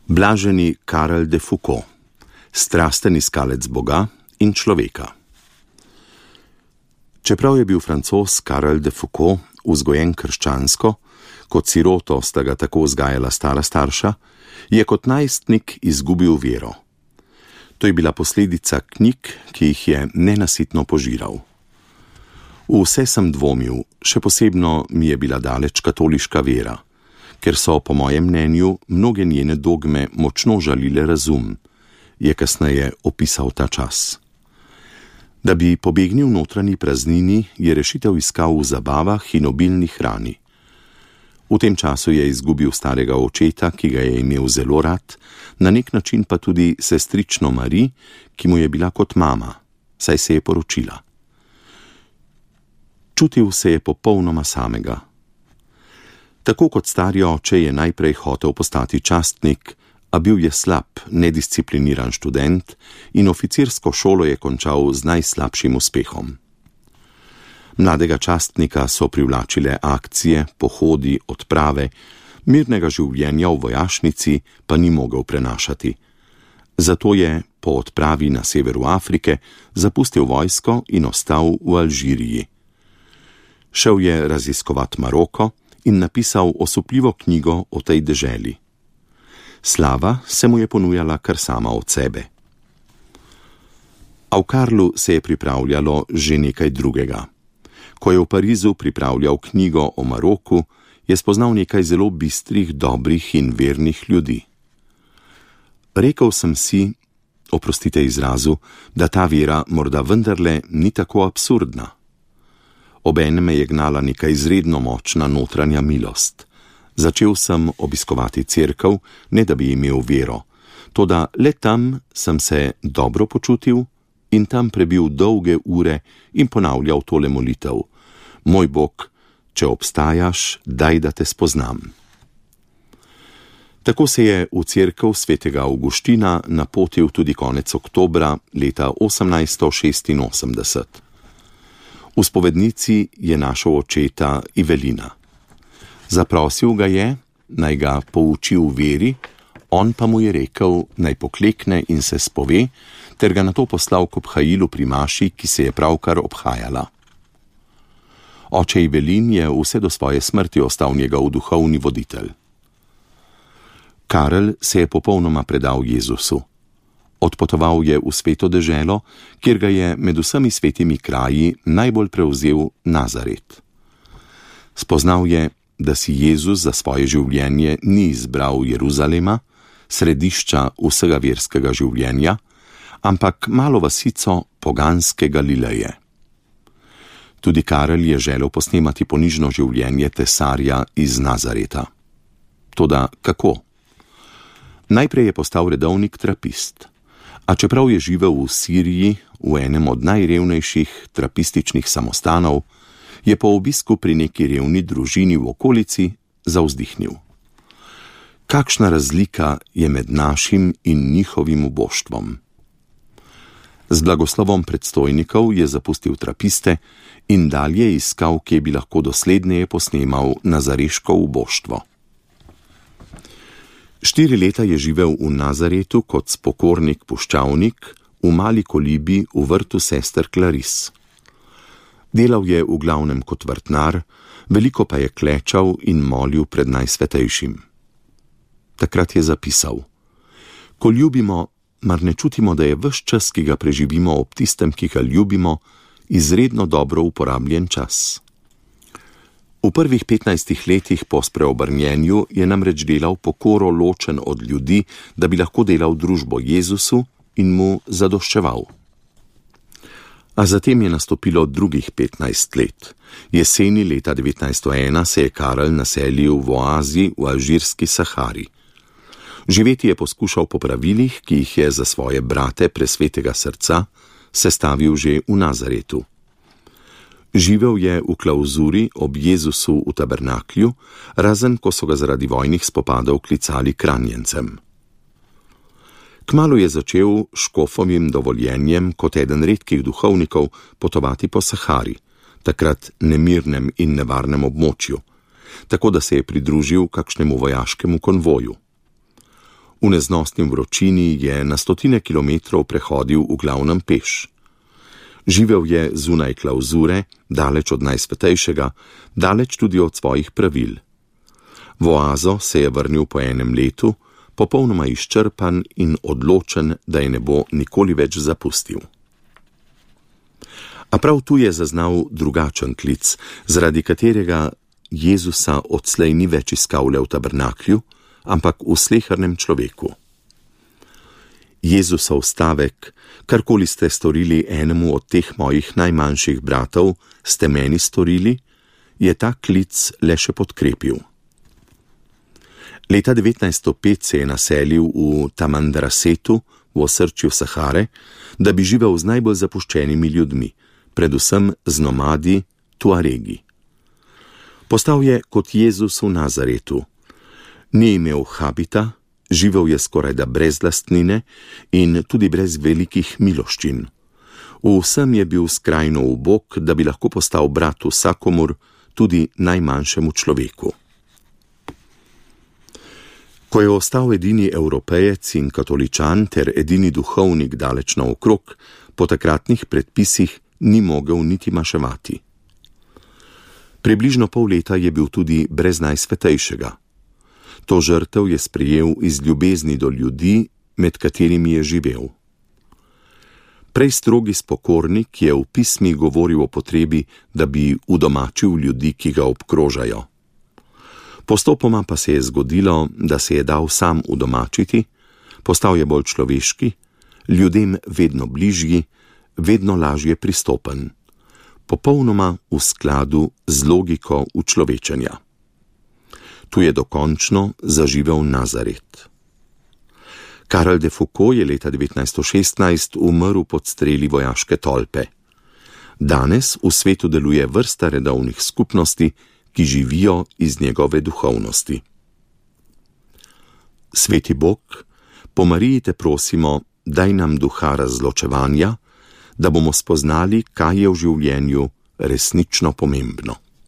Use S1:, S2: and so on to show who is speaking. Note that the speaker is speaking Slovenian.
S1: Blaženi Karel de Foucault, strasten iskalec Boga in človeka. Čeprav je bil Francoz Karel de Foucault vzgojen krščansko, kot siroto sta ga tako vzgajala stara starša, je kot najstnik izgubil vero. To je bila posledica knjig, ki jih je nenasitno požiral. V vse sem dvomil, še posebno mi je bila daleč katoliška vera, ker so, po mojem mnenju, mnoge njene dogme močno žalile razum, je kasneje opisal ta čas. Da bi pobegnil notranji praznini, je rešitev iskal v zabavah in obilni hrani. V tem času je izgubil starega očeta, ki ga je imel zelo rad, na nek način pa tudi sestrično Mari, ki mu je bila kot mama, saj se je poročila. Čutil se je popolnoma samega. Tako kot stari oče je najprej hotel postati častnik, a bil je slab, nediscipliniran študent in oficirsko šolo je končal z najslabšim uspehom. Mladega častnika so privlačile akcije, pohodi, odprave, mirnega življenja v vojašnici pa ni mogel prenašati. Zato je po odpravi na severu Afrike zapustil vojsko in ostal v Alžiriji. Šel je raziskovat Maroko in napisal osupljivo knjigo o tej deželi. Slava se mu je ponujala kar sama od sebe. A v Karlu se je pripravljalo že nekaj drugega. Ko je v Parizu pripravljal knjigo o Maroku, je spoznal nekaj zelo bistrih, dobrih in vernih ljudi. Rekel sem si, oprostite izrazu, da ta vera morda vendarle ni tako absurdna. Obenem me je gnala neka izredno močna notranja milost. Začel sem obiskovati cerkev, ne da bi imel vero, toda le tam sem se dobro počutil in tam prebil dolge ure in ponavljal tole molitev: Moj Bog, če obstajaš, daj, da te spoznam. Tako se je v cerkev svetega Avguština napotil tudi konec oktobra leta 1886. V spovednici je našel očeta Ivelina. Zaprosil ga je, naj ga pouči v veri, on pa mu je rekel, naj poklekne in se spove, ter ga nato poslal k obhajilu pri maši, ki se je pravkar obhajala. Oče Ivelin je vse do svoje smrti ostal njegov duhovni voditelj. Karel se je popolnoma predal Jezusu. Odpotoval je v sveto deželo, kjer ga je med vsemi svetimi kraji najbolj prevzel Nazaret. Spoznal je, da si Jezus za svoje življenje ni izbral Jeruzalema, središča vsega verskega življenja, ampak malo vasico poganske Galileje. Tudi Karel je želel posnemati ponižno življenje tesarja iz Nazareta. Toda kako? Najprej je postal redovnik trapist. A čeprav je živel v Siriji, v enem od najrevnejših trapističnih samostanov, je po obisku pri neki revni družini v okolici zavzdihnil. Kakšna razlika je med našim in njihovim uboštvom? Z blagoslovom predstojnikov je zapustil trapiste in dalje iskal, kje bi lahko dosledneje posnemal nazareško uboštvo. 4 leta je živel v Nazaretu kot spokornik puščavnik v mali kolibi v vrtu sester Claris. Delal je v glavnem kot vrtnar, veliko pa je klečal in molil pred Najsvetejšim. Takrat je zapisal: Ko ljubimo, mar ne čutimo, da je ves čas, ki ga preživimo ob tistem, ki ga ljubimo, izredno dobro uporabljen čas. V prvih 15 letih po spreobrnjenju je namreč delal pokoro ločen od ljudi, da bi lahko delal družbo Jezusu in mu zadoščeval. A zatem je nastopilo drugih 15 let. Jeseni leta 1901 se je Karel naselil v oazi v alžirski Sahari. Živeti je poskušal po pravilih, ki jih je za svoje brate presvetega srca sestavil že v Nazaretu. Živel je v klavzuri ob Jezusu v tabernaklju, razen ko so ga zaradi vojnih spopadov klicali kranjencem. Kmalu je začel škofovim dovoljenjem kot eden redkih duhovnikov potovati po Sahari, takrat nemirnem in nevarnem območju, tako da se je pridružil kakšnemu vojaškemu konvoju. V neznosni vročini je na stotine kilometrov prehodil v glavnem peš. Živel je zunaj klavzure, daleč od najsvetejšega, daleč tudi od svojih pravil. V oazo se je vrnil po enem letu, popolnoma izčrpan in odločen, da je ne bo nikoli več zapustil. A prav tu je zaznal drugačen klic, zaradi katerega Jezusa odslej ni več iskal le v tabernaklju, ampak v slehernem človeku. Jezusov stavek, karkoli ste storili enemu od teh mojih najmanjših bratov, ste meni storili, je ta klic le še podkrepil. Leta 1905 se je naselil v Tamandrasetu, v osrčju Sahare, da bi živel z najbolj zapuščenimi ljudmi, predvsem z nomadi Tuaregi. Postal je kot Jezus v Nazaretu. Ni imel habita, živel je skorajda brez lastnine in tudi brez velikih miloščin. V vsem je bil skrajno ubog, da bi lahko postal brat vsakomur, tudi najmanjšemu človeku. Ko je ostal edini Evropejec in katoličan ter edini duhovnik daleč naokrog, po takratnih predpisih ni mogel niti maševati. Približno pol leta je bil tudi brez najsvetejšega. To žrtev je sprejel iz ljubezni do ljudi, med katerimi je živel. Prej strogi spokornik je v pismih govoril o potrebi, da bi udomačil ljudi, ki ga obkrožajo. Postopoma pa se je zgodilo, da se je dal sam udomačiti, postal je bolj človeški, ljudem vedno bližji, vedno lažje pristopen, popolnoma v skladu z logiko učlovečenja. Tu je dokončno zaživel Nazaret. Karel de Foucault je leta 1916 umrl pod streli vojaške tolpe. Danes v svetu deluje vrsta redovnih skupnosti, ki živijo iz njegove duhovnosti. Sveti Bog, po Mariji te prosimo, daj nam duha razločevanja, da bomo spoznali, kaj je v življenju resnično pomembno.